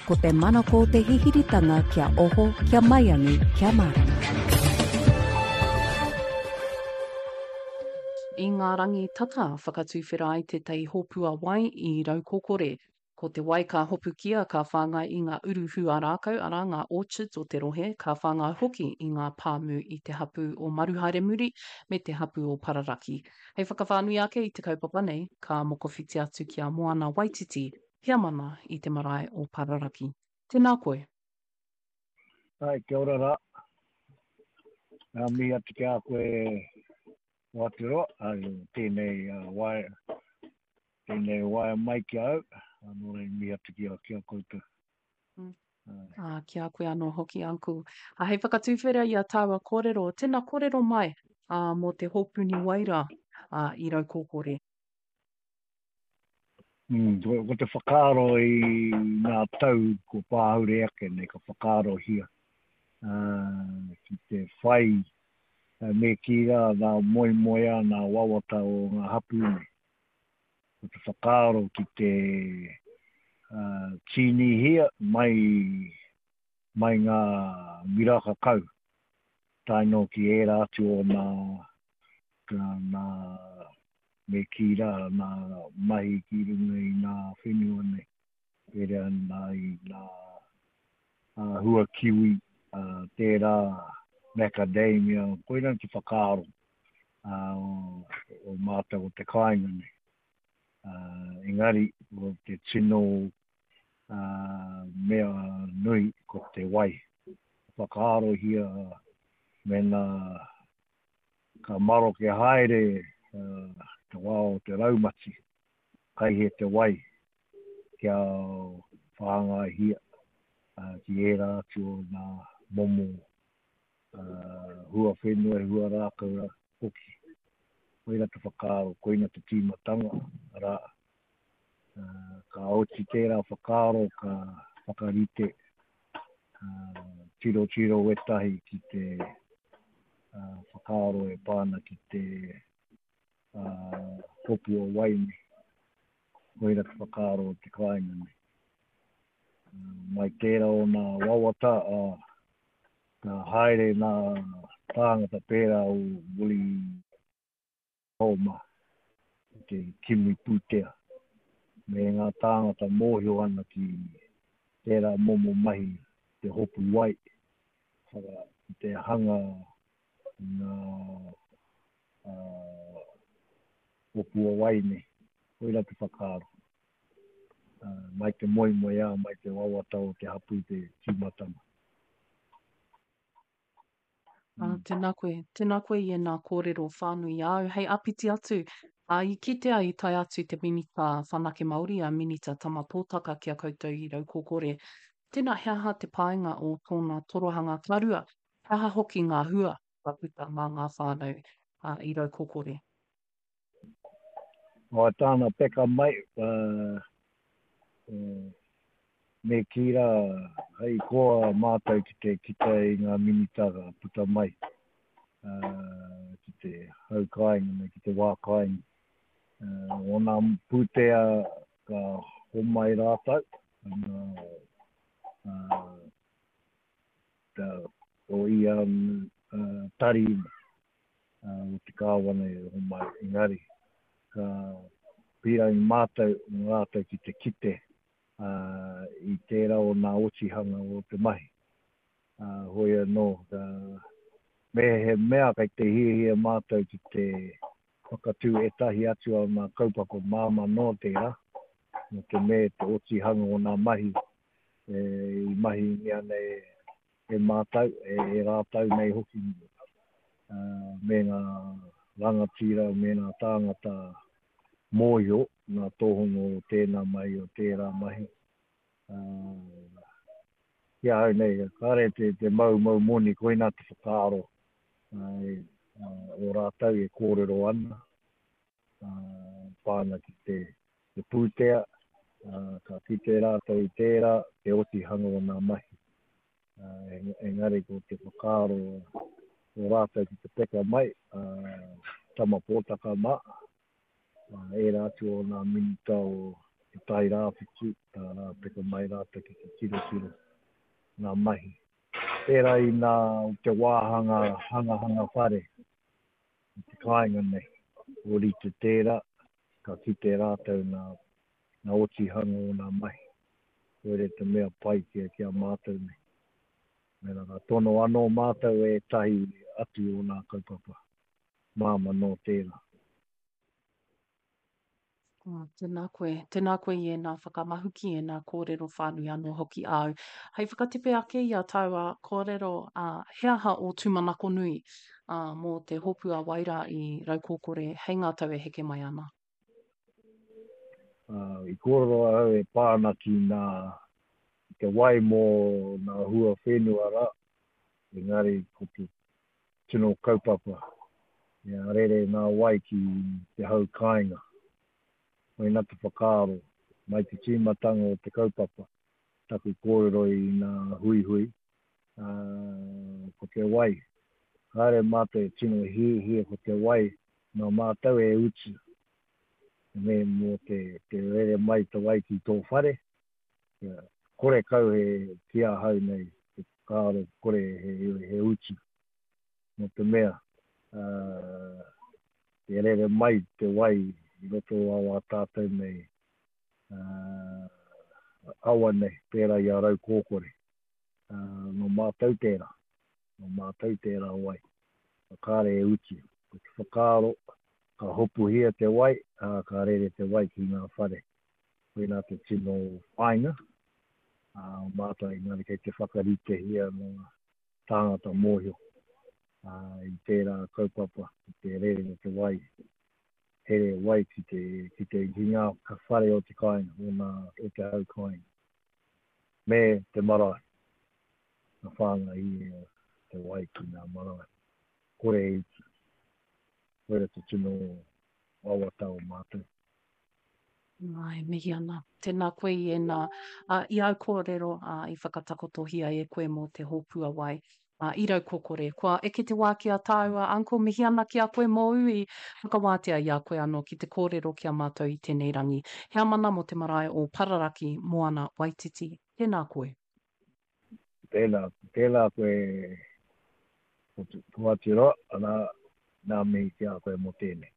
Ko te manako o te hihiritanga kia oho, kia maiangi, kia mārama. I ngā rangi tata, whakatuwhera ai tētahi hōpua wai i Raukokore. Ko te wai ka hopukia ka whāngai i ngā uru huarākau, arā, ngā orchards o te rohe, ka whāngai hoki i ngā pāmu i te hapū o Maruhaeremuri me te hapū o Pararaki. Hei whakawhānui ake i te kaupapa nei, ka mokowhiti atu ki a Moana Waititi, heamana i te marae o Pararaki. Tēnā koe. Ai, kia ora rā. Ngā mihi atu ki a koe Aotearoa, ai, tēnei uh, waea, tēnei waea mai ki a au, nō reira mihi atu ki a, ki a koutou. Mm. Ah, ki a koe anō hoki, Uncle. Ah, hei whakatūwhera i a tāua kōrero, tēnā kōrero mai ah, mō te hōpuni waira ah, i Raukōkore. Mm, ko, ko te whakaaro i ngā tau ko pāhure ake nei, ka whakaarohia uh, ki te whai uh, me kī rā ngā moemoeā, ngā wawata o ngā hapū nei. Ko te whakaaro ki te uh, tīnihia mai, mai ngā miraka kau, tae noa ki ērā atu o nā, nā me kī rā, nā mahi ki runga i nā whenua nei, pērā nā i nā hua kiwi, tērā macadamia, koirā te whakaaro o mātou o te kāinga nei. Engari, ko te tino mea nui ko te wai. Whakaarohia mēnā ka maroke haere te wā o te raumati, kai he te wai kia whāngaihia ki ērā atu o ngā momo hua whenua, hua rākau hoki. Koira te whakaaro, koina te tīmatanga, arā, ka oti tērā whakaaro ka whakarite tirotiro wētahi ki te whakaaro e pā ana ki te hopu o wai nei. Koira te whakaaro o te kāinga nei. Mai tērā o nā wawata, ka haere nā tāngata pērā o Willie Palmer ki te kimi pūtea me ngā tāngata mōhio ana ki tērā momo mahi te hopu wai, ki te hanga i ngā hopu o wai nei. Koirā te whakaaro. Mai te moemoeā, mai te wawata o te hapū te tīmatanga. Ā, tēnā koe, tēnā koe i ēnā kōrero whānui āu. Hei āpiti atu, ā, i kitea i tae atu te Minita Whanake Māori, a Minita Tama Potaka ki a koutou i Raukokore. Tēnā, he aha te painga o tōna torohanga ka rua? He aha hoki ngā hua ka puta mā ngā whānau, ā, i Raukokore? O tāna peka mai, me kī rā, hei koa mātou ki te kite i ngā minita ka puta mai ki te hau kāinga nei, ki te wā kāinga. Ōna pūtea ka homai rātou, o ia tari o te kāwana i homai, engari ka pīrangi mātou mō rātou ki te kite i tērā o nā otihanga o te mahi. Hoi anō, me he mea kei te hiahia mātou ki te whakatū ētahi atu o nā kaupapa māmā noa tērā, nō te mea te otihanga o nā mahi i mahingia nei e mātou, e rātou nei hoki, me ngā rangatira, me ngā tāngata mōhio, ngā tohunga o tēnā mahi, o tērā mahi. Ki ahau nei, kāre te, te maumau moni, koinā te whakaaro o rātou e kōrero ana, pā ana ki te, te pūtea, ka kite rātou i tērā, te otihanga o ngā mahi. Engari ko te whakaaro o rātou ki te peka mai, Tama Pōtaka mā, ērā atu o ngā minita o Te Tai Rāwhiti, ka peka mai rātou ki te tirotiro ngā mahi. Pērā i nā o te wāhanga hangahanga whare i te kāinga nei, ōrite tērā, ka kite rātou nā, nā otihanga o nā mahi. Koire te mea pai ki, ki a mātou nei. Mēnā ka tono anō mātou ētahi atu o nā kaupapa māmā nō tērā. Oh, tēnā koe, tēnā koe i ēnā whakamahuki, ēnā kōrero whānui anō hoki āu. Hei whakatepe ake i a tāua kōrero, ā, he aha ō tūmanako nui, ā, mō te hopu a Wairā i Raukōkore hei ngā tau e heke mai ana? Ā, i kōrero ahau e pā ana ki nā, ki te wai mō nā hua whenua rā, engari ko te tino kaupapa, ea rere ngā wai ki te hau kāinga. Koina te whakaaro, mai te tīmatanga o te kaupapa, taku kōrero i ngā huihui, ā, ko te wai. Kāre mātou e tino hiahia ko te wai nā mātou e utu me mō te, te rere mai te wai ki tō whare, kia kore kau he ki ahau nei te whakaaro kore he, he utu. Nō te mea, uh, e rere mai te wai i roto o wā tātou nei uh, awa nei, pērā i a Raukōkore. Uh, nō mātou tērā, nō mātou tērā wai. Kāre e utu. Ko te whakaaro, ka hopuhia te wai, ā, ka rere te wai ki ngā whare. Koinā te tino whāinga, ā, o mātou engari kei te whakaritehia ngā tāngata mōhio i tērā kaupapa, i te rere o te wai, here wai ki te, ki te, ki ngā whare o te kāinga, o ngā, o te hau kāinga, me te marae, ka whāngai i te wai ki ngā marae. Kore e utu. Koira te tino wawata o mātou. Āe, mihi ana. Tēnā koe i ēnā, ā, i āu kōrero, ā, i whakatakotohia e koe mō te hōpua wai, ā, i Raukokore. Kua eke te wā ki a tāua, Uncle, mihi ana ki a koe mōu i whakawātea i a koe anō ki te kōrero ki a mātou i tēnei rangi. Heamana mō te marae o Pararaki, Moana Waititi. Tēnā koe. Tēnā, tēnā koe, Hoaturoa, arā, nā mihi ki a koe mō tēnei.